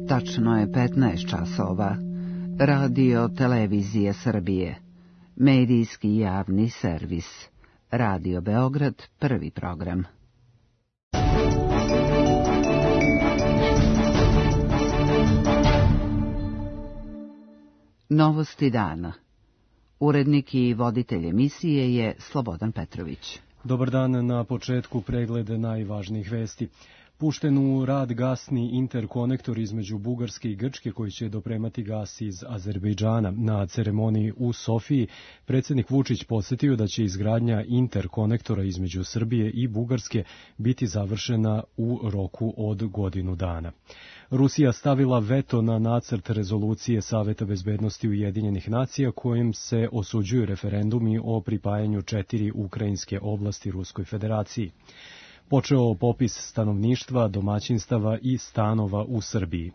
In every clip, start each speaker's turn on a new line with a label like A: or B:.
A: Tačno je 15 časova. Radio Televizije Srbije. Medijski javni servis. Radio Beograd, prvi program. Novosti dana. Urednik i voditelj emisije je Slobodan Petrović.
B: Dobar dan, na početku pregled najvažnijih vesti. Pušten u rad gasni interkonektor između Bugarske i Grčke koji će dopremati gas iz Azerbejdžana. Na ceremoniji u Sofiji predsjednik Vučić podsjetio da će izgradnja interkonektora između Srbije i Bugarske biti završena u roku od godinu dana. Rusija stavila veto na nacrt rezolucije Saveta bezbednosti Ujedinjenih nacija kojim se osuđuju referendumi o pripajanju 4 ukrajinske oblasti Ruskoj federaciji. Počeo popis stanovništva, domaćinstava i stanova u Srbiji.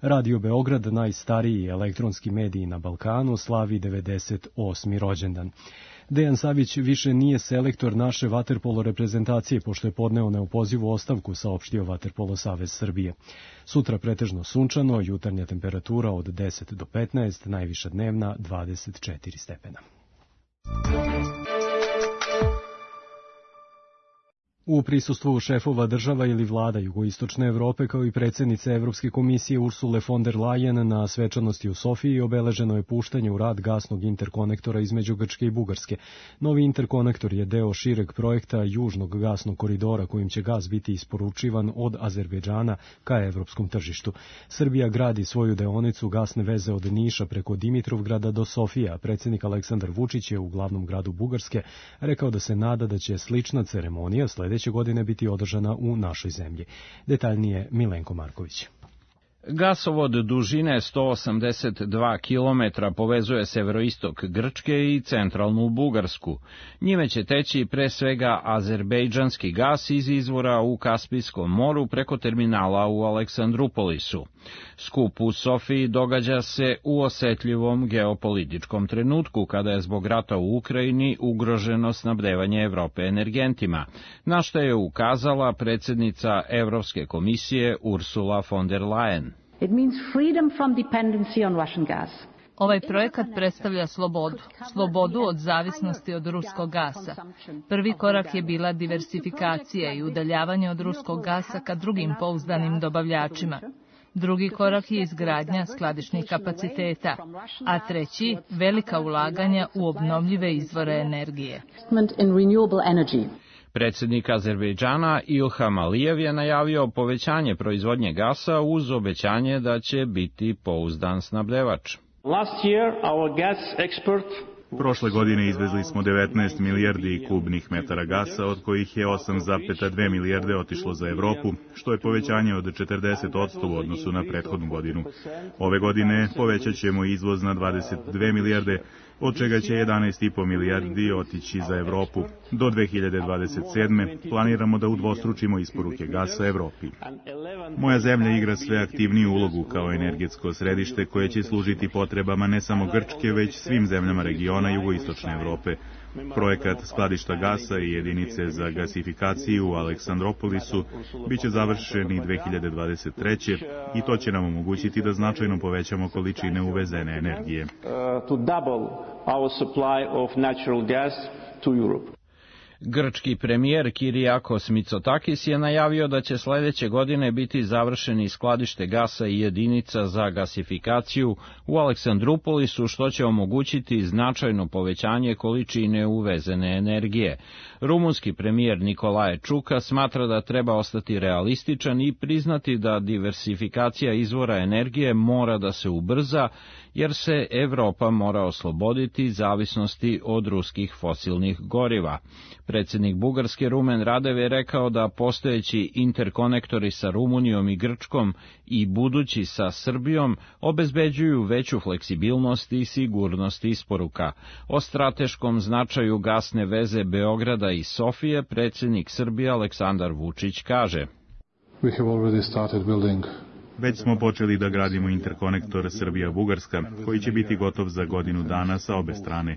B: Radio Beograd, najstariji elektronski medij na Balkanu, slavi 98. rođendan. Dejan Savić više nije selektor naše vaterpolo reprezentacije, pošto je podneo neopozivu ostavku, saopštio Vaterpolo savez Srbije. Sutra pretežno sunčano, jutarnja temperatura od 10 do 15, najviša dnevna 24 stepena. U prisustvu šefova država ili vlada jugoistočne Evrope kao i predsjednice Evropske komisije Ursule von der Leyen na svečanosti u Sofiji obeleženo je puštanje u rad gasnog interkonektora između Grčke i Bugarske. Novi interkonektor je deo šireg projekta Južnog gasnog koridora kojim će gas biti isporučivan od Azerbejdžana ka evropskom tržištu. Srbija gradi svoju deonicu gasne veze od Niša preko Dimitrovgrada do Sofija. Predsjednik Aleksandar Vučić je u glavnom gradu Bugarske rekao da se nada da će slična ceremonija sljedeće godine biti održana u našoj zemlji. Detaljnije Milenko Marković.
C: Gasovod dužine 182 km povezuje severoistok Grčke i centralnu Bugarsku. Njime će teći pre svega azerbejdžanski gas iz izvora u Kaspijskom moru preko terminala u Aleksandrupolisu. Skup u Sofiji događa se u osetljivom geopolitičkom trenutku kada je zbog rata u Ukrajini ugroženo snabdevanje Evrope energentima, na što je ukazala predsjednica Evropske komisije Ursula von der Leyen.
D: It means freedom from dependency on Russian gas.
E: Ovaj projekat predstavlja slobodu od zavisnosti od ruskog gasa. Prvi korak je bila diversifikacija i udaljavanje od ruskog gasa ka drugim pouzdanim dobavljačima. Drugi korak je izgradnja skladišnih kapaciteta, a treći velika ulaganja u obnovljive izvore energije.
C: Predsjednik Azerbejdžana Ilham Alijev je najavio povećanje proizvodnje gasa uz obećanje da će biti pouzdan snabdevač.
F: Prošle godine izvezli smo 19 milijardi kubnih metara gasa, od kojih je 8,2 milijarde otišlo za Evropu, što je povećanje od 40% u odnosu na prethodnu godinu. Ove godine povećat ćemo izvoz na 22 milijarde, od čega će 11,5 milijardi otići za Evropu. Do 2027. planiramo da udvostručimo isporuke gasa Evropi. Moja zemlja igra sve aktivniju ulogu kao energetsko središte koje će služiti potrebama ne samo Grčke, već svim zemljama regiona jugoistočne Evrope. Projekat skladišta gasa i jedinice za gasifikaciju u Aleksandropolisu biće završeni 2023. i to će nam omogućiti da značajno povećamo količine uvezene energije.
C: Grčki premijer Kyriakos Mitsotakis je najavio da će sljedeće godine biti završeni skladište gasa i jedinica za gasifikaciju u Aleksandrupolisu, što će omogućiti značajno povećanje količine uvezene energije. Rumunski premijer Nicolae Čuka smatra da treba ostati realističan i priznati da diversifikacija izvora energije mora da se ubrza, jer se Evropa mora osloboditi zavisnosti od ruskih fosilnih goriva. Predsjednik Bugarske Rumen Radev je rekao da postojeći interkonektori sa Rumunijom i Grčkom i budući sa Srbijom obezbeđuju veću fleksibilnost i sigurnost isporuka. O strateškom značaju gasne veze Beograda i Sofije predsjednik Srbije Aleksandar Vučić kaže:
G: We have already started building
F: Već smo počeli da gradimo interkonektor Srbija-Bugarska, koji će biti gotov za godinu dana sa obe strane.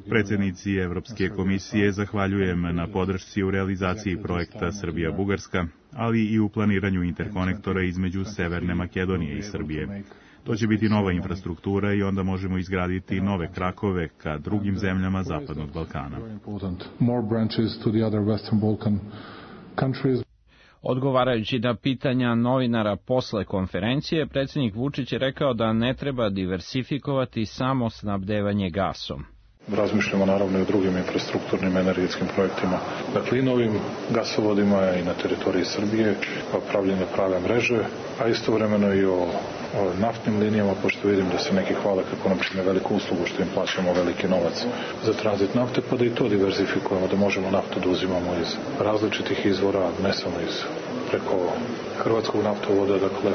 F: Predsjednici Evropske komisije zahvaljujem na podršci u realizaciji projekta Srbija-Bugarska, ali i u planiranju interkonektora između Severne Makedonije i Srbije. To će biti nova infrastruktura i onda možemo izgraditi nove krakove ka drugim zemljama Zapadnog Balkana.
C: Odgovarajući na pitanja novinara posle konferencije, predsjednik Vučić je rekao da ne treba diversifikovati samo snabdevanje gasom.
G: Razmišljamo naravno i o drugim infrastrukturnim energetskim projektima, dakle i novim gasovodima i na teritoriji Srbije, pravljenje prave mreže, a istovremeno i o naftnim linijama, pošto vidim da se neki hvale kako nam čine veliku uslugu što im plaćamo veliki novac za tranzit nafte, pa da i to diverzifikujemo, da možemo naftu da uzimamo iz različitih izvora, ne samo preko hrvatskog naftovoda, dakle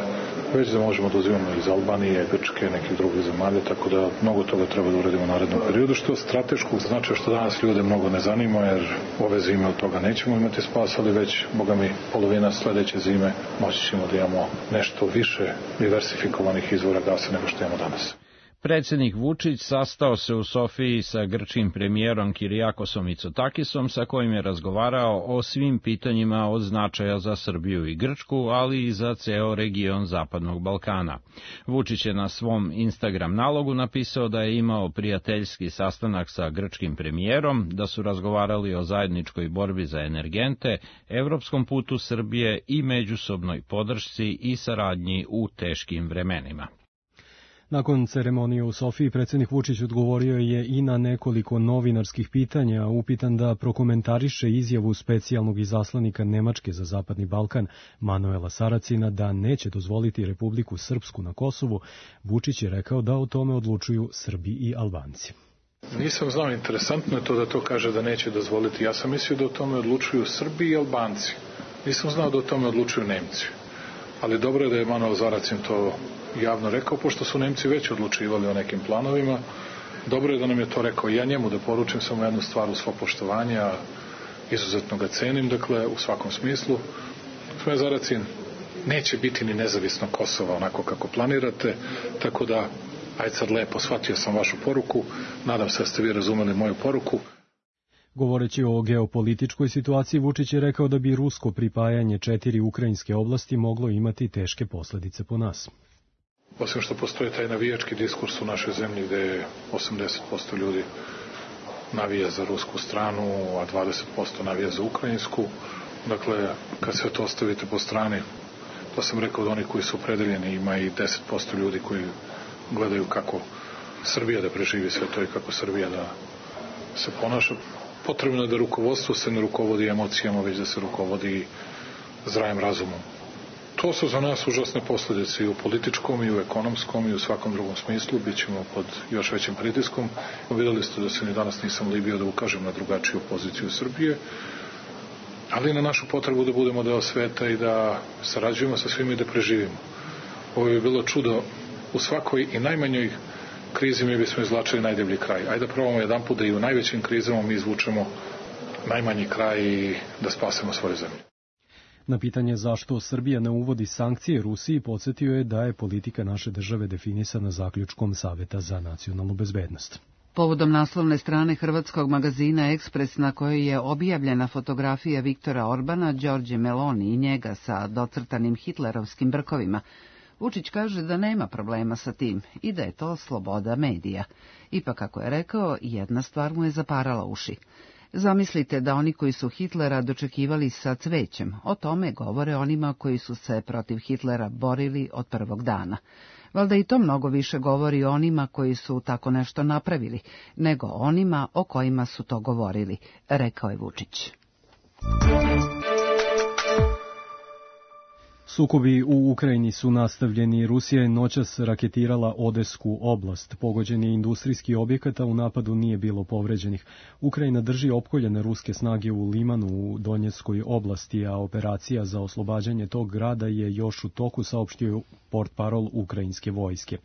G: već da možemo da uzimamo iz Albanije, Grčke, nekih drugih zemalja, tako da mnogo toga treba da uradimo u narednom periodu, što je strateškog značaja, što danas ljude mnogo ne zanima, jer ove zime od toga nećemo imati spas, ali već, boga mi, polovina sledeće zime moći ćemo da imamo nešto više diversifikovanih izvora gasa nego što imamo danas.
C: Predsjednik Vučić sastao se u Sofiji sa grčkim premijerom Kirijakosom Mitsotakisom, sa kojim je razgovarao o svim pitanjima od značaja za Srbiju i Grčku, ali i za ceo region Zapadnog Balkana. Vučić je na svom Instagram nalogu napisao da je imao prijateljski sastanak sa grčkim premijerom, da su razgovarali o zajedničkoj borbi za energente, evropskom putu Srbije i međusobnoj podršci i saradnji u teškim vremenima.
B: Nakon ceremonije u Sofiji, predsjednik Vučić odgovorio je i na nekoliko novinarskih pitanja, upitan da prokomentariše izjavu specijalnog izaslanika Nemačke za Zapadni Balkan Manuela Saracina da neće dozvoliti Republiku Srpsku na Kosovu. Vučić je rekao da o tome odlučuju Srbi i Albanci.
G: Nisam znao, interesantno je to da to kaže da neće dozvoliti. Ja sam mislio da o tome odlučuju Srbi i Albanci. Nisam znao da o tome odlučuju Nemci. Ali dobro je da je Manuel Saracin to javno rekao, pošto su Nemci već odlučivali o nekim planovima. Dobro je da nam je to rekao. Ja njemu da poručim samo jednu stvar u svo poštovanje, a izuzetno ga cenim, dakle, u svakom smislu. Gospodin Saracin, neće biti ni nezavisno Kosova onako kako planirate, tako da, ajde sad lepo, shvatio sam vašu poruku, nadam se da ste vi razumeli moju poruku.
B: Govoreći o geopolitičkoj situaciji, Vučić je rekao da bi rusko pripajanje 4 ukrajinske oblasti moglo imati teške posledice po nas.
G: Osim što postoji taj navijački diskurs u našoj zemlji gde 80% ljudi navija za rusku stranu, a 20% navija za ukrajinsku. Dakle, kad sve to ostavite po strani, to sam rekao da oni koji su opredeljeni, ima i 10% ljudi koji gledaju kako Srbija da preživi sve to i kako Srbija da se ponaša. Potrebno je da rukovodstvo se ne rukovodi emocijama, već da se rukovodi zdravim razumom. To su za nas užasne posljedice i u političkom, i u ekonomskom, i u svakom drugom smislu. Bićemo pod još većim pritiskom. Videli ste da se ni danas nisam libio da ukažem na drugačiju poziciju Srbije, ali na našu potrebu da budemo deo sveta i da sarađujemo sa svima i da preživimo. Ovo je bilo čudo. U svakoj i najmanjoj krizi mi bismo izvlačili najdeblji kraj. Ajde da probamo jedan put da i u najvećim krizama mi izvučemo najmanji kraj i da spasemo svoju zemlju.
B: Na pitanje zašto Srbija ne uvodi sankcije Rusiji, podsjetio je da je politika naše države definisana zaključkom Saveta za nacionalnu bezbednost.
A: Povodom naslovne strane hrvatskog magazina Ekspres, na kojoj je objavljena fotografija Viktora Orbana, Đorđe Meloni i njega sa docrtanim hitlerovskim brkovima, Vučić kaže da nema problema sa tim i da je to sloboda medija. Ipak, kako je rekao, jedna stvar mu je zaparala uši. Zamislite da oni koji su Hitlera dočekivali sa cvećem, o tome govore onima koji su se protiv Hitlera borili od prvog dana. Valjda i to mnogo više govori o onima koji su tako nešto napravili, nego onima o kojima su to govorili, rekao je Vučić.
B: Sukobi u Ukrajini su nastavljeni. Rusija je noćas raketirala Odesku oblast. Pogođen je industrijski objekat, a u napadu nije bilo povređenih. Ukrajina drži opkoljene ruske snage u Limanu u Donjeckoj oblasti, a operacija za oslobađanje tog grada je još u toku, saopštio portparol ukrajinske vojske.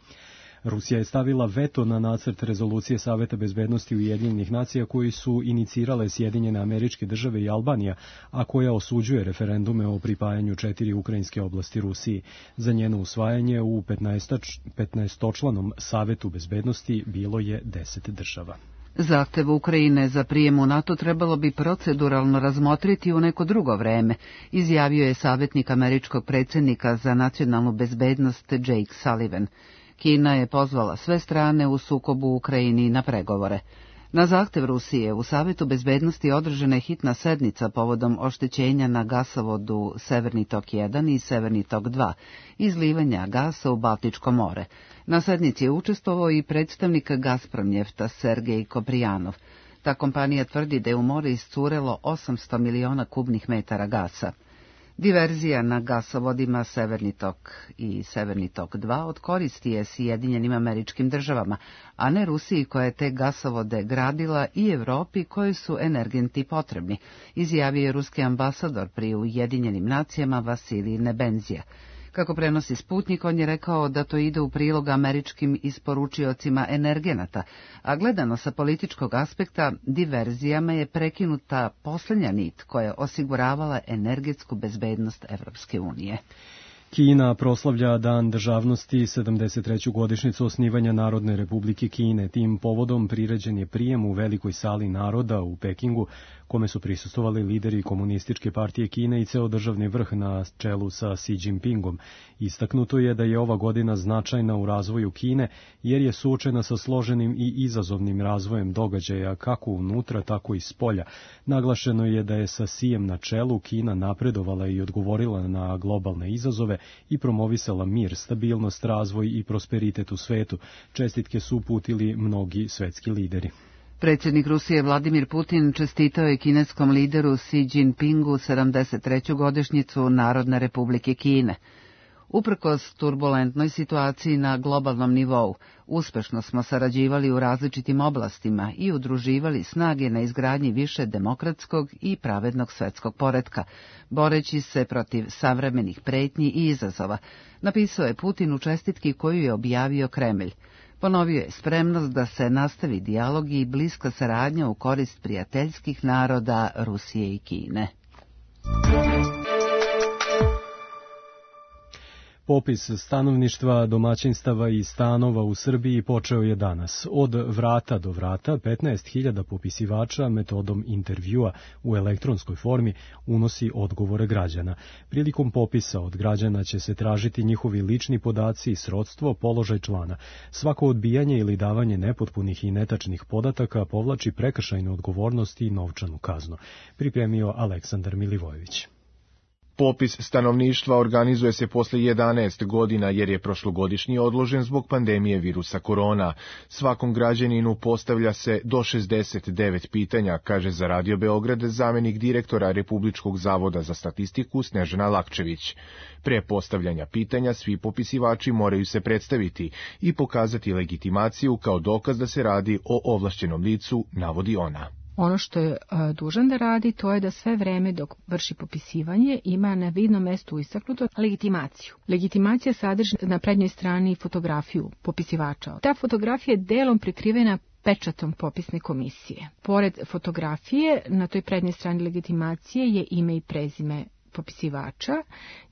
B: Rusija je stavila veto na nacrt rezolucije Saveta bezbednosti Ujedinjenih nacija koji su inicirale Sjedinjene Američke Države i Albanija, a koja osuđuje referendume o pripajanju 4 ukrajinske oblasti Rusiji. Za njeno usvajanje u 15-članom Savetu bezbednosti bilo je 10 država.
A: Zahtev Ukrajine za prijem u NATO trebalo bi proceduralno razmotriti u neko drugo vreme, izjavio je savjetnik američkog predsjednika za nacionalnu bezbednost Jake Sullivan. Kina je pozvala sve strane u sukobu u Ukrajini na pregovore. Na zahtev Rusije u Savetu bezbednosti održana je hitna sednica povodom oštećenja na gasovodu Severni tok 1 i Severni tok 2, izlivanja gasa u Baltičko more. Na sednici je učestvovao i predstavnik Gazpromnjefta Sergej Koprijanov. Ta kompanija tvrdi da je u more iscurelo 800 miliona kubnih metara gasa. Diverzija na gasovodima Severni tok i Severni tok 2 od koristi je Sjedinjenim Američkim Državama, a ne Rusiji koja je te gasovode gradila i Evropi koji su energenti potrebni, izjavio je ruski ambasador pri Ujedinjenim nacijama Vasilij Nebenzija. Kako prenosi Sputnik, on je rekao da to ide u prilog američkim isporučiocima energenata, a gledano sa političkog aspekta, diverzijama je prekinuta posljednja nit koja je osiguravala energetsku bezbednost Evropske unije.
B: Kina proslavlja Dan državnosti 73. godišnjicu osnivanja Narodne republike Kine. Tim povodom priređen je prijem u Velikoj sali naroda u Pekingu, kome su prisustvovali lideri Komunističke partije Kine i ceo državni vrh na čelu sa Xi Jinpingom. Istaknuto je da je ova godina značajna u razvoju Kine, jer je suočena sa složenim i izazovnim razvojem događaja kako unutra, tako i spolja. Naglašeno je da je sa Xijem na čelu Kina napredovala i odgovorila na globalne izazove i promovisala mir, stabilnost, razvoj i prosperitet u svetu. Čestitke su uputili mnogi svetski lideri.
A: Predsjednik Rusije Vladimir Putin čestitao je kineskom lideru Xi Jinpingu 73. godišnjicu Narodne republike Kine. Uprkos turbulentnoj situaciji na globalnom nivou, uspešno smo sarađivali u različitim oblastima i udruživali snage na izgradnji više demokratskog i pravednog svetskog poretka, boreći se protiv savremenih pretnji i izazova, napisao je Putin u čestitki koju je objavio Kremlj. Ponovio je spremnost da se nastavi dijalog i bliska saradnja u korist prijateljskih naroda Rusije i Kine.
B: Popis stanovništva, domaćinstava i stanova u Srbiji počeo je danas. Od vrata do vrata 15.000 popisivača metodom intervjua u elektronskoj formi unosi odgovore građana. Prilikom popisa od građana će se tražiti njihovi lični podaci i srodstvo, položaj člana. Svako odbijanje ili davanje nepotpunih i netačnih podataka povlači prekršajnu odgovornost i novčanu kaznu. Pripremio Aleksandar Milivojević.
H: Popis stanovništva organizuje se posle 11 godina jer je prošlogodišnji odložen zbog pandemije virusa korona. Svakom građaninu postavlja se do 69 pitanja, kaže za Radio Beograd zamenik direktora Republičkog zavoda za statistiku Snežana Lakčević. Pre postavljanja pitanja svi popisivači moraju se predstaviti i pokazati legitimaciju kao dokaz da se radi o ovlašćenom licu, navodi ona.
I: Ono što je dužan da radi, to je da sve vreme dok vrši popisivanje ima na vidnom mestu istaknuto legitimaciju. Legitimacija sadrži na prednjoj strani fotografiju popisivača. Ta fotografija je delom prikrivena pečatom popisne komisije. Pored fotografije, na toj prednjoj strani legitimacije je ime i prezime popisivača,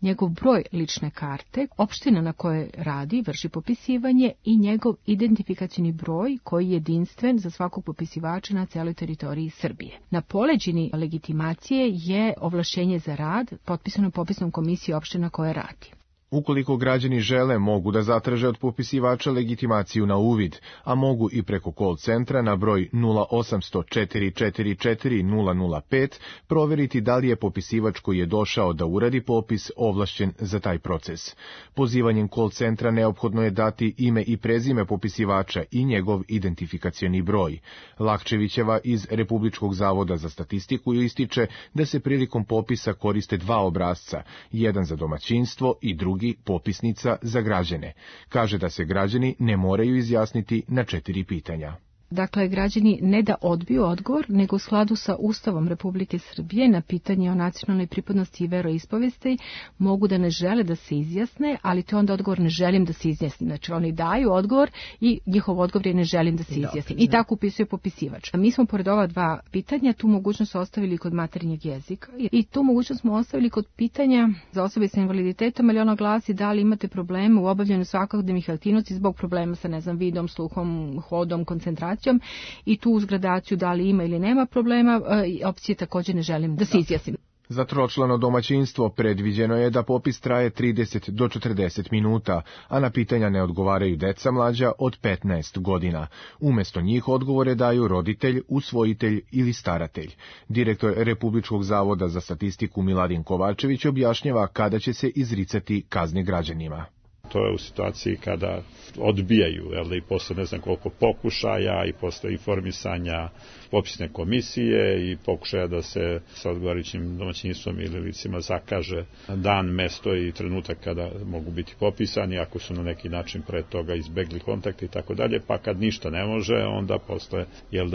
I: njegov broj lične karte, opština na kojoj radi, vrši popisivanje i njegov identifikacioni broj koji je jedinstven za svakog popisivača na celoj teritoriji Srbije. Na poleđini legitimacije je ovlašćenje za rad potpisano popisnom komisiji opština koja radi.
H: Ukoliko građani žele, mogu da zatraže od popisivača legitimaciju na uvid, a mogu i preko call centra na broj 0800-444-005 proveriti da li je popisivač koji je došao da uradi popis ovlašćen za taj proces. Pozivanjem call centra neophodno je dati ime i prezime popisivača i njegov identifikacioni broj. Lakčevićeva iz Republičkog zavoda za statistiku ističe da se prilikom popisa koriste dva obrasca, jedan za domaćinstvo i drugi popisnica za građane. Kaže da se građani ne moraju izjasniti na 4 pitanja.
I: Dakle, građani ne da odbiju odgovor, nego u skladu sa Ustavom Republike Srbije na pitanje o nacionalnoj pripadnosti i veroispovesti mogu da ne žele da se izjasne, ali to onda odgovor ne želim da se izjasnim. Znači, oni daju odgovor i njihov odgovor je ne želim da se izjasnim. I tako upisuje popisivač. Mi smo pored ova dva pitanja tu mogućnost ostavili kod materinjeg jezika i tu mogućnost smo ostavili kod pitanja za osobe sa invaliditetom, ali ono glasi da li imate probleme u obavljanju svakodnevnih aktivnosti zbog problema sa, vidom, sluhom, hodom, koncentracijom i tu uz gradaciju da li ima ili nema problema, opcije također ne želim da se izjasnim.
H: Za tročlano domaćinstvo predviđeno je da popis traje 30 do 40 minuta, a na pitanja ne odgovaraju deca mlađa od 15 godina. Umjesto njih odgovore daju roditelj, usvojitelj ili staratelj. Direktor Republičkog zavoda za statistiku Miladin Kovačević objašnjava kada će se izricati kazne građanima.
J: To je u situaciji kada odbijaju, i posle ne znam koliko pokušaja i posle informisanja popisne komisije i pokušaja da se sa odgovarajućim domaćinstvom ili licima zakaže dan, mesto i trenutak kada mogu biti popisani, ako su na neki način pre toga izbegli kontakte i tako dalje, pa kad ništa ne može, onda posle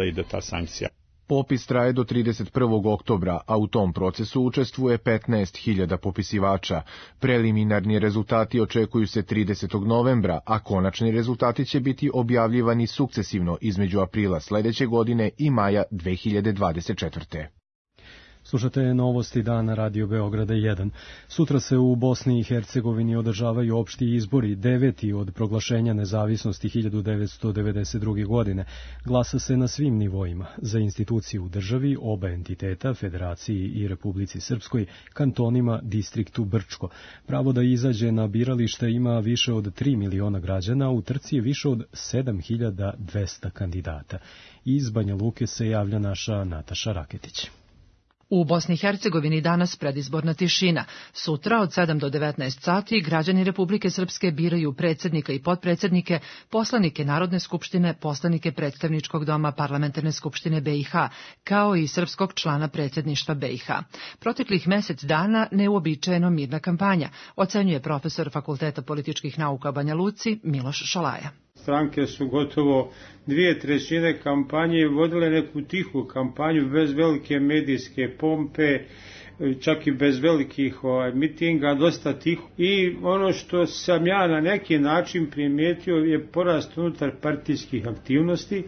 J: ide ta sankcija.
H: Popis traje do 31. oktobra, a u tom procesu učestvuje 15.000 popisivača. Preliminarni rezultati očekuju se 30. novembra, a konačni rezultati će biti objavljivani sukcesivno između aprila sledeće godine i maja 2024.
B: Slušate novosti dana Radio Beograda 1. Sutra se u Bosni i Hercegovini održavaju opšti izbori, 9. od proglašenja nezavisnosti 1992. godine. Glasa se na svim nivoima, za institucije u državi, oba entiteta, Federaciji i Republici Srpskoj, kantonima, distriktu Brčko. Pravo da izađe na biralište ima više od 3 miliona građana, u trci je više od 7.200 kandidata. Iz Banja Luke se javlja naša Nataša Raketić.
K: U Bosni i Hercegovini danas predizborna tišina. Sutra od 7 do 19 sati građani Republike Srpske biraju predsjednika i potpredsjednike, poslanike Narodne skupštine, poslanike predstavničkog doma Parlamentarne skupštine BiH, kao i srpskog člana predsjedništva BiH. Proteklih mesec dana neuobičajeno mirna kampanja, ocenjuje profesor Fakulteta političkih nauka u Banja Luci Miloš Šolaja.
L: Stranke su gotovo 2/3 kampanje vodile neku tihu kampanju bez velike medijske pompe, čak i bez velikih mitinga, dosta tiho. I ono što sam ja na neki način primijetio je porast unutar partijskih aktivnosti,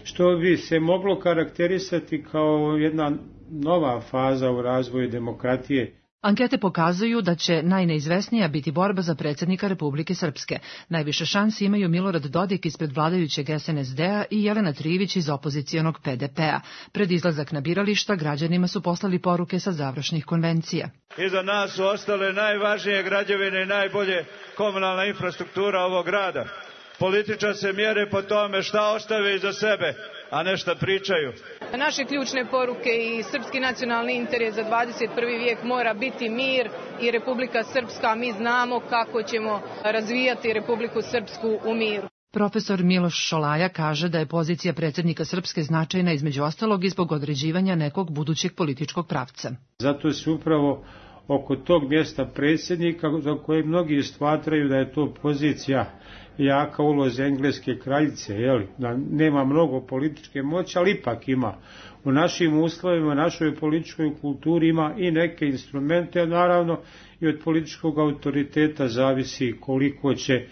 L: što bi se moglo karakterisati kao jedna nova faza u razvoju demokratije.
K: Ankete pokazuju da će najneizvesnija biti borba za predsjednika Republike Srpske. Najviše šansi imaju Milorad Dodik ispred vladajućeg SNSD-a i Jelena Trivić iz opozicijonog PDP-a. Pred izlazak na birališta građanima su poslali poruke sa završnih konvencija.
M: Iza nas su ostale najvažnije građevine i najbolje komunalna infrastruktura ovog grada. Političari se mjere po tome šta ostave iza sebe, a ne šta pričaju.
N: Naše ključne poruke i srpski nacionalni interes za 21. vijek mora biti mir i Republika Srpska. Mi znamo kako ćemo razvijati Republiku Srpsku u miru.
K: Profesor Miloš Šolaja kaže da je pozicija predsjednika Srpske značajna između ostalog i zbog određivanja nekog budućeg političkog pravca.
L: Zato se upravo oko tog mjesta predsjednika, za koje mnogi smatraju da je to pozicija jaka ulozi engleske kraljice, da nema mnogo političke moći, ali ipak ima. U našim uslovima, našoj političkoj kulturi ima i neke instrumente, naravno i od političkog autoriteta zavisi koliko će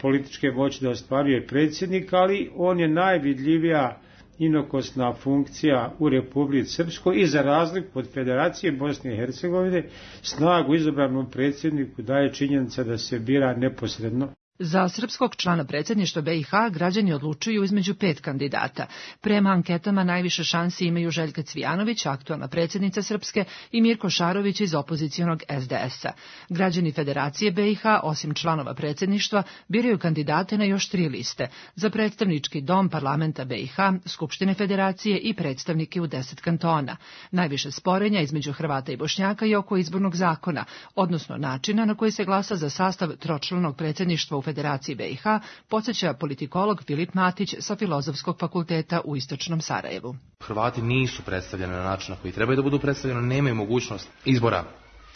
L: političke moći da ostvaruje predsjednik, ali on je najvidljivija inokosna funkcija u Republici Srpskoj i za razliku od Federacije Bosne i Hercegovine snagu izabranom predsjedniku daje činjenica da se bira neposredno.
K: Za srpskog člana predsjedništva BiH građani odlučuju između 5 kandidata. Prema anketama najviše šansi imaju Željka Cvijanović, aktualna predsjednica Srpske, i Mirko Šarović iz opozicijonog SDS-a. Građani Federacije BiH, osim članova predsjedništva, biraju kandidate na još 3 liste. Za predstavnički dom parlamenta BiH, Skupštine Federacije i predstavnike u 10 kantona. Najviše sporenja između Hrvata i Bošnjaka je oko izbornog zakona, odnosno načina na koji se glasa za sastav tročlanog predsjedništva u Federaciji BiH, podsjeća politikolog Filip Matić sa Filozofskog fakulteta u Istočnom Sarajevu.
O: Hrvati nisu predstavljeni na način na koji trebaju da budu predstavljeni, nemaju mogućnost izbora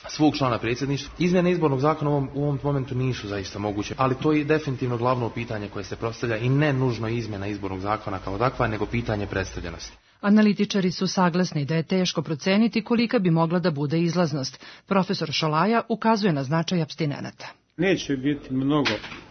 O: svog člana predsjedništva. Izmjene izbornog zakona u ovom momentu nisu zaista moguće, ali to je definitivno glavno pitanje koje se postavlja i ne nužno izmjena izbornog zakona kao takva, nego pitanje predstavljenosti.
K: Analitičari su saglasni da je teško proceniti kolika bi mogla da bude izlaznost. Profesor Šolaja ukazuje na značaj apstinenata.
L: Neće biti mnogo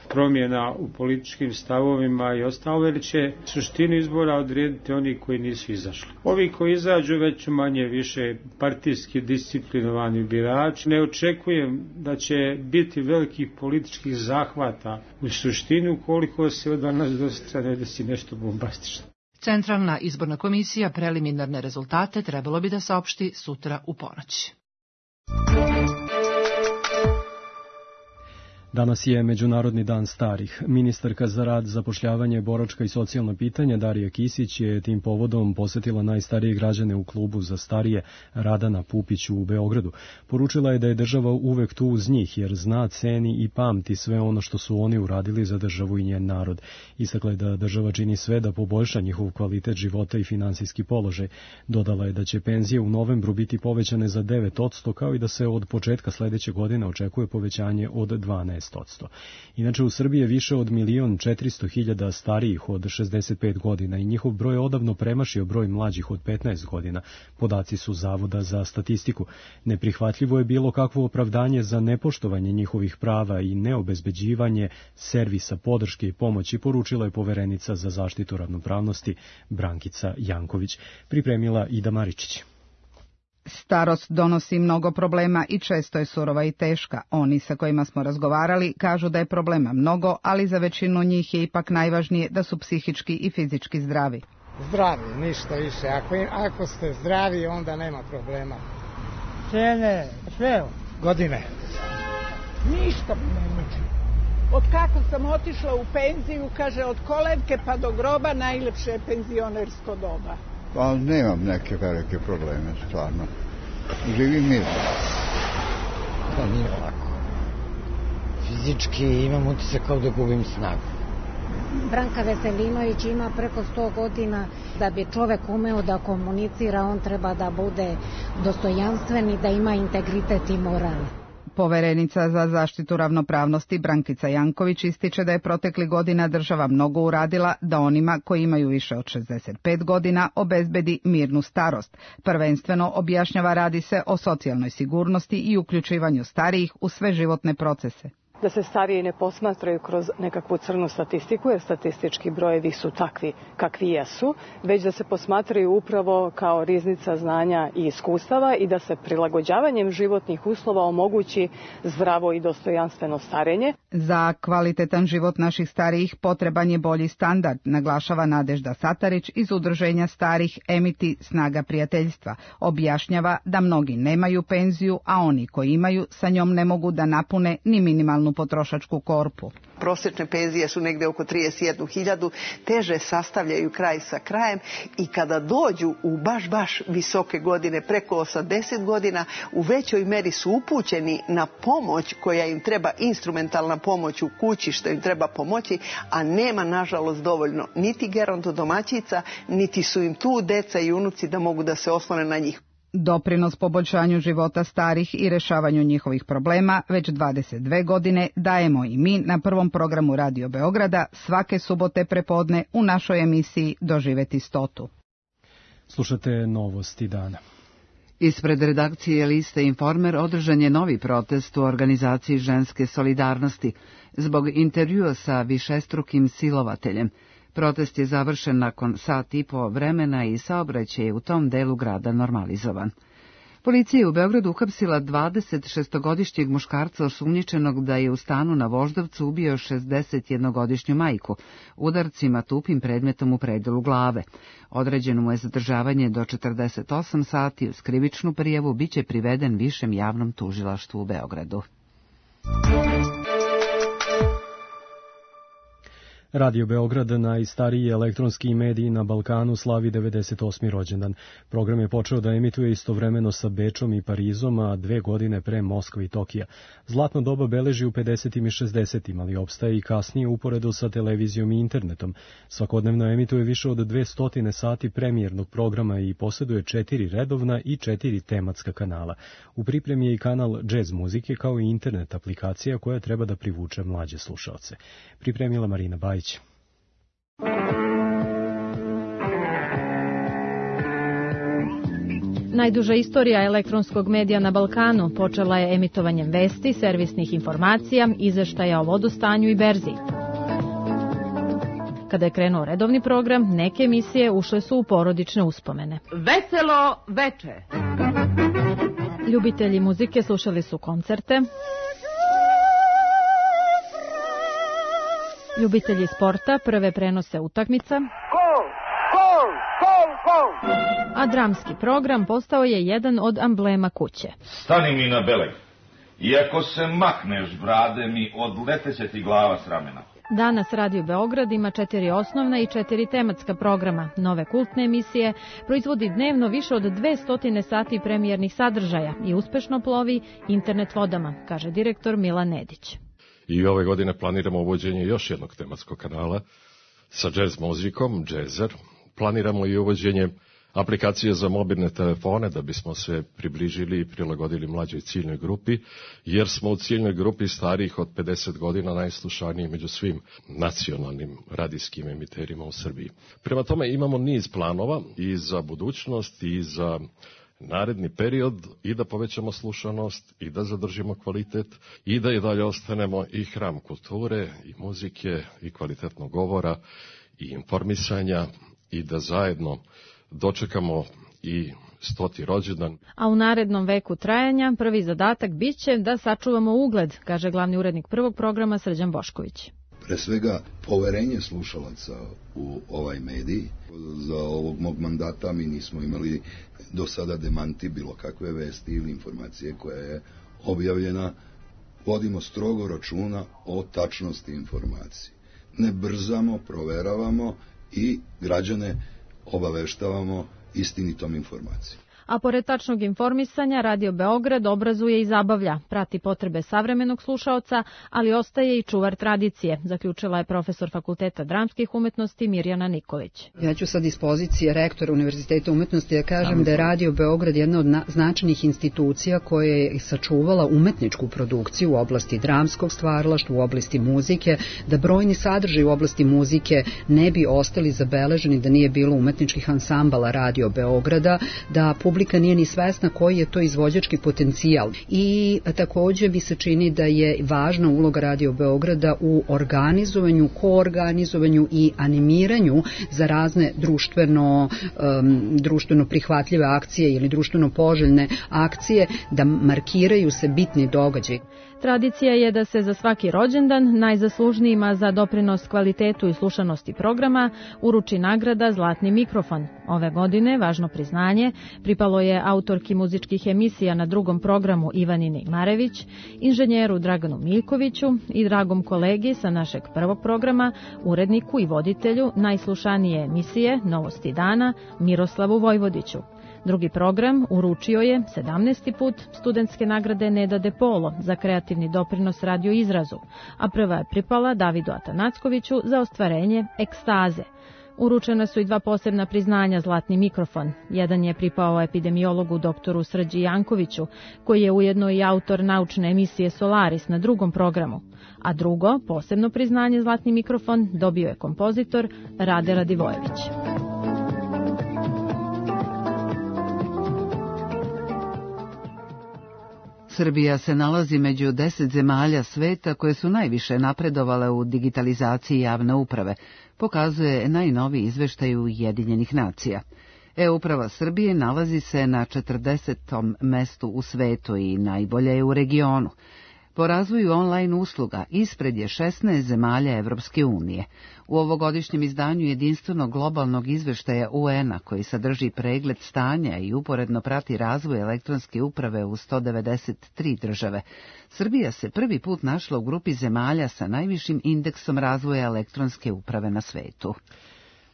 L: promjena u političkim stavovima i ostalo, jer će suštinu izbora odrediti oni koji nisu izašli. Ovi koji izađu već manje više partijski disciplinovani birači. Ne očekujem da će biti velikih političkih zahvata u suštinu koliko se od danas do sutra ne desi nešto bombastično.
K: Centralna izborna komisija preliminarne rezultate trebalo bi da saopšti sutra u ponoć.
B: Danas je Međunarodni dan starih. Ministarka za rad, zapošljavanje, boračka i socijalna pitanja Darija Kisić je tim povodom posetila najstarije građane u klubu za starije Radana Pupiću u Beogradu. Poručila je da je država uvek tu uz njih jer zna, ceni i pamti sve ono što su oni uradili za državu i njen narod. Istakla je da država čini sve da poboljša njihov kvalitet života i finansijski položaj. Dodala je da će penzije u novembru biti povećane za 9%, kao i da se od početka sledeće godine očekuje povećanje od 12%. Inače, u Srbiji je više od 1.400.000 starijih od 65 godina i njihov broj je odavno premašio broj mlađih od 15 godina. Podaci su Zavoda za statistiku. Neprihvatljivo je bilo kakvo opravdanje za nepoštovanje njihovih prava i neobezbeđivanje servisa podrške i pomoći, poručila je poverenica za zaštitu ravnopravnosti Brankica Janković. Pripremila Ida Maričić.
P: Starost donosi mnogo problema i često je surova i teška. Oni sa kojima smo razgovarali kažu da je problema mnogo, ali za većinu njih je ipak najvažnije da su psihički i fizički zdravi.
Q: Zdravi, ništa više. Ako ste zdravi, onda nema problema.
R: Cene, sve.
Q: Godine.
R: Ništa ne muči. Od kako sam otišla u penziju, kaže, od kolevke pa do groba najlepše je penzionersko doba.
S: Pa nemam neke velike probleme, stvarno. Živim mirno.
T: Da, nije lako. Fizički imam utisak kao da gubim snagu.
U: Branka Veselinović ima preko 100 godina. Da bi čovek umeo da komunicira, on treba da bude dostojanstven i da ima integritet i moral.
P: Poverenica za zaštitu ravnopravnosti Brankica Janković ističe da je protekli godina država mnogo uradila da onima koji imaju više od 65 godina obezbedi mirnu starost. Prvenstveno objašnjava radi se o socijalnoj sigurnosti i uključivanju starijih u sve životne procese.
V: Da se stariji ne posmatraju kroz nekakvu crnu statistiku, jer statistički brojevi su takvi kakvi jesu, već da se posmatraju upravo kao riznica znanja i iskustava i da se prilagođavanjem životnih uslova omogući zdravo i dostojanstveno starenje.
P: Za kvalitetan život naših starijih potreban je bolji standard, naglašava Nadežda Satarić iz Udruženja starih Emiti Snaga prijateljstva. Objašnjava da mnogi nemaju penziju, a oni koji imaju sa njom ne mogu da napune ni minimalnu potrošačku korpu.
W: Prosječne penzije su negde oko 31.000, teže sastavljaju kraj sa krajem i kada dođu u baš visoke godine, preko 80 godina, u većoj meri su upućeni na pomoć koja im treba, instrumentalna pomoć u kući što im treba pomoći, a nema nažalost dovoljno niti gerontodomaćica, niti su im tu deca i unuci da mogu da se oslone na njih.
P: Doprinos poboljšanju života starih i rešavanju njihovih problema već 22 godine dajemo i mi na prvom programu Radio Beograda svake subote prepodne u našoj emisiji Doživeti 100.
B: Slušate novosti dana.
A: Ispred redakcije Liste Informer održan je novi protest u organizaciji Ženske solidarnosti zbog intervjua sa višestrukim silovateljem. Protest je završen nakon sat i po vremena i saobraćaj je u tom delu grada normalizovan. Policija je u Beogradu uhapsila 26-godišnjeg muškarca osumnjičenog da je u stanu na Voždovcu ubio 61-godišnju majku, udarcima tupim predmetom u predelu glave. Određeno mu je zadržavanje do 48 sati, uz krivičnu prijavu biće priveden Višem javnom tužilaštvu u Beogradu.
B: Radio Beograd, najstariji elektronski medij na Balkanu, slavi 98. rođendan. Program je počeo da emituje istovremeno sa Bečom i Parizom, a 2 godine pre Moskve i Tokija. Zlatno doba beleži u 50. i 60. ali opstaje i kasnije uporedo sa televizijom i internetom. Svakodnevno emituje više od 200 sati premijernog programa i posjeduje 4 redovna i 4 tematska kanala. U pripremi je i kanal Jazz muzike kao i internet aplikacija koja treba da privuče mlađe slušaoce. Pripremila Marina Bajić.
D: Najduža istorija elektronskog medija na Balkanu počela je emitovanjem vesti, servisnih informacija, izveštaja o vodostanju i berzi. Kada je krenuo redovni program, neke emisije ušle su u porodične uspomene.
E: Veselo veče!
D: Ljubitelji muzike slušali su koncerte, ljubitelji sporta prve prenose utakmica, a dramski program postao je jedan od amblema kuće.
F: Stani mi na beleg, iako se makneš, brade mi, odleteće ti glava s ramena.
D: Danas Radio Beograd ima 4 osnovna i 4 tematska programa, nove kultne emisije, proizvodi dnevno više od 200 sati premijernih sadržaja i uspešno plovi internet vodama, kaže direktor Milan Nedić.
X: I ove godine planiramo uvođenje još jednog tematskog kanala sa jazz muzikom, Jazzer. Planiramo i uvođenje aplikacije za mobilne telefone da bismo se približili i prilagodili mlađoj ciljnoj grupi, jer smo u ciljnoj grupi starijih od 50 godina najslušaniji među svim nacionalnim radijskim emiterima u Srbiji. Prema tome imamo niz planova i za budućnost i za naredni period i da povećamo slušanost i da zadržimo kvalitet i da i dalje ostanemo i hram kulture i muzike i kvalitetnog govora i informisanja i da zajedno dočekamo i 100. rođendan.
D: A u narednom veku trajanja prvi zadatak biće da sačuvamo ugled, kaže glavni urednik prvog programa Srđan Bošković.
Y: Pre svega poverenje slušalaca u ovaj medij. Za ovog mog mandata mi nismo imali do sada demanti bilo kakve vesti ili informacije koja je objavljena. Vodimo strogo računa o tačnosti informacije. Ne brzamo, proveravamo i građane obaveštavamo istinitom informacijom.
D: A pored tačnog informisanja, Radio Beograd obrazuje i zabavlja, prati potrebe savremenog slušaoca, ali ostaje i čuvar tradicije, zaključila je profesor Fakulteta dramskih umetnosti Mirjana Nikolić.
Z: Ja ću sa dispozicije rektora Univerziteta umetnosti da kažem da je Radio Beograd jedna od značajnih institucija koja je sačuvala umetničku produkciju u oblasti dramskog stvaralaštva, u oblasti muzike, da brojni sadržaji u oblasti muzike ne bi ostali zabeleženi da nije bilo umetničkih ansambala Radio Beograda, da publika nije ni svesna koji je to izvođački potencijal. I također mi se čini da je važna uloga Radio Beograda u organizovanju, koorganizovanju i animiranju za razne društveno prihvatljive akcije ili društveno poželjne akcije, da markiraju se bitni događaji.
D: Tradicija je da se za svaki rođendan najzaslužnijima za doprinos kvalitetu i slušanosti programa uruči nagrada Zlatni mikrofon. Ove godine važno priznanje pripalo je autorki muzičkih emisija na drugom programu Ivanini Marević, inženjeru Draganu Miljkoviću i dragom kolegi sa našeg prvog programa, uredniku i voditelju najslušanije emisije Novosti dana Miroslavu Vojvodiću. Drugi program uručio je 17. put studentske nagrade Neda De Polo za kreativni doprinos radioizrazu, a prva je pripala Davidu Atanackoviću za ostvarenje ekstaze. Uručena su i 2 posebna priznanja Zlatni mikrofon. Jedan je pripao epidemiologu doktoru Srđi Jankoviću, koji je ujedno i autor naučne emisije Solaris na drugom programu. A drugo, posebno priznanje Zlatni mikrofon, dobio je kompozitor Rade Radivojević.
A: Srbija se nalazi među 10 zemalja sveta koje su najviše napredovale u digitalizaciji javne uprave, pokazuje najnoviji izveštaj Ujedinjenih nacija. E-uprava Srbije nalazi se na 40. mestu u svetu i najbolja je u regionu. Po razvoju online usluga ispred je 16 zemalja Evropske unije. U ovogodišnjem izdanju jedinstvenog globalnog izveštaja UN-a, koji sadrži pregled stanja i uporedno prati razvoj elektronske uprave u 193 države, Srbija se prvi put našla u grupi zemalja sa najvišim indeksom razvoja elektronske uprave na svetu.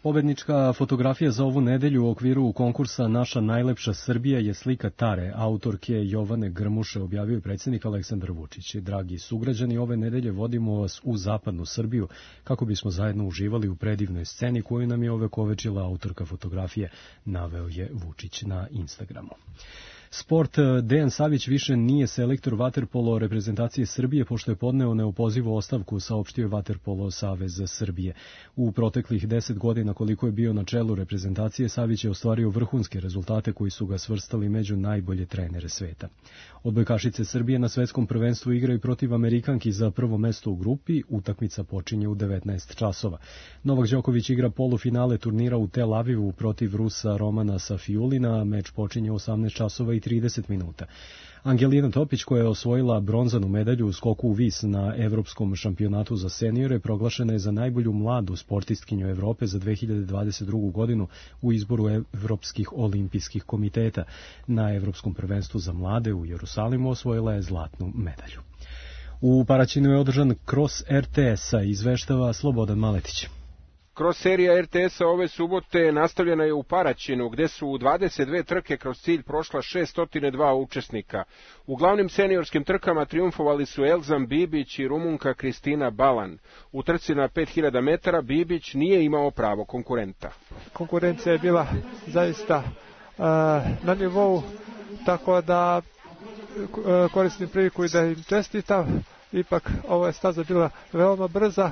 B: Pobednička fotografija za ovu nedelju u okviru konkursa Naša najlepša Srbija je slika Tare, autorke Jovane Grmuše, objavio je predsjednik Aleksandar Vučić. Dragi sugrađani, ove nedelje vodimo vas u zapadnu Srbiju kako bismo zajedno uživali u predivnoj sceni koju nam je ovekovečila autorka fotografije, naveo je Vučić na Instagramu. Sport. Dejan Savić više nije selektor vaterpolo reprezentacije Srbije pošto je podneo neopozivu ostavku, saopštio je Vaterpolo savez Srbije. U proteklih 10 godina koliko je bio na čelu reprezentacije, Savić je ostvario vrhunske rezultate koji su ga svrstali među najbolje trenere sveta. Odbojkašice Srbije na svetskom prvenstvu igraju protiv Amerikanki za prvo mesto u grupi, utakmica počinje u 19 časova. Novak Đoković igra polufinale turnira u Tel Avivu protiv Rusa Romana Safiulina, meč počinje u 18 časova i 30 minuta. Angelina Topić, koja je osvojila bronzanu medalju u skoku u vis na Evropskom šampionatu za seniore, proglašena je za najbolju mladu sportistkinju Evrope za 2022. godinu u izboru Evropskih olimpijskih komiteta. Na Evropskom prvenstvu za mlade u Jerusalimu osvojila je zlatnu medalju. U Paraćinu je održan Cross RTS-a, izveštava Slobodan Maletić.
C: Kroz serija RTS-a ove subote nastavljena je u Paraćinu, gde su u 22 trke kroz cilj prošla 602 učesnika. U glavnim seniorskim trkama triumfovali su Elzam Bibić i Rumunka Kristina Balan. U trci na 5000 metara Bibić nije imao pravo konkurenta.
G: Konkurencija je bila zaista na nivou, tako da koristim priliku i da im čestitam. Ipak ova je staza bila veoma brza.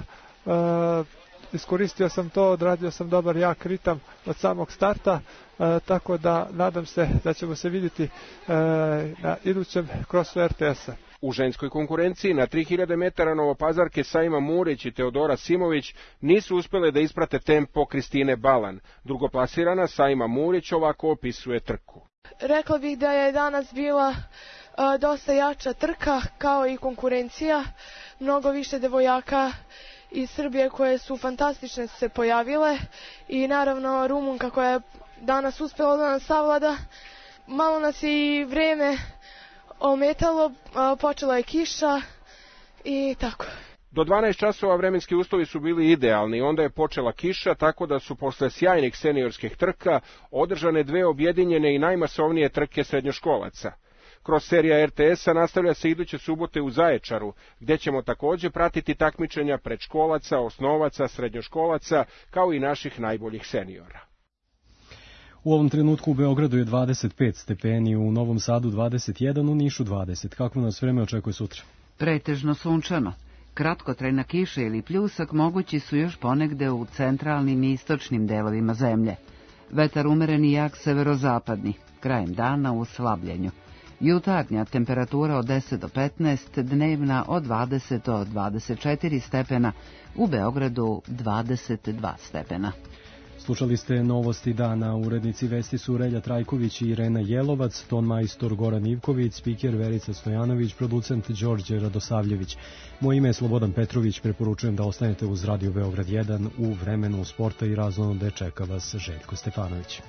G: Iskoristio sam to, odradio sam dobar jak ritam od samog starta, tako da nadam se da ćemo se vidjeti na idućem krosu RTS-a.
C: U ženskoj konkurenciji na 3000 metara Novopazarke Saima Murić i Teodora Simović nisu uspjele da isprate tempo Kristine Balan. Drugoplasirana Saima Murić ovako opisuje trku.
H: Rekla bih da je danas bila dosta jača trka, kao i konkurencija, mnogo više devojaka iz Srbije koje su fantastične se pojavile i naravno Rumunka koja je danas uspjela da nas savlada. Malo nas je i vreme ometalo, počela je kiša i tako.
C: Do 12 časova vremenski uslovi su bili idealni, onda je počela kiša, tako da su posle sjajnih seniorskih trka održane dve objedinjene i najmasovnije trke srednjoškolaca. Kroz serija RTS-a nastavlja se iduće subote u Zaječaru, gdje ćemo također pratiti takmičenja predškolaca, osnovaca, srednjoškolaca, kao i naših najboljih seniora.
B: U ovom trenutku u Beogradu je 25 stepeni, u Novom Sadu 21, u Nišu 20. Kako nas vreme očekuje sutra?
A: Pretežno sunčano. Kratkotrajna kiša ili pljusak mogući su još ponegde u centralnim i istočnim delovima zemlje. Vetar umeren i jak severozapadni, krajem dana u slabljenju. Jutarnja temperatura od 10 do 15, dnevna od 20 do 24 stepena, u Beogradu 22 stepena.
B: Slušali ste novosti dana, urednici vesti su Relja Trajković i Irena Jelovac, ton majstor Goran Ivković, spiker Verica Stojanović, producent Đorđe Radosavljević. Moje ime je Slobodan Petrović, preporučujem da ostanete uz Radio Beograd 1 u vremenu sporta i razonode čeka vas Željko Stefanović.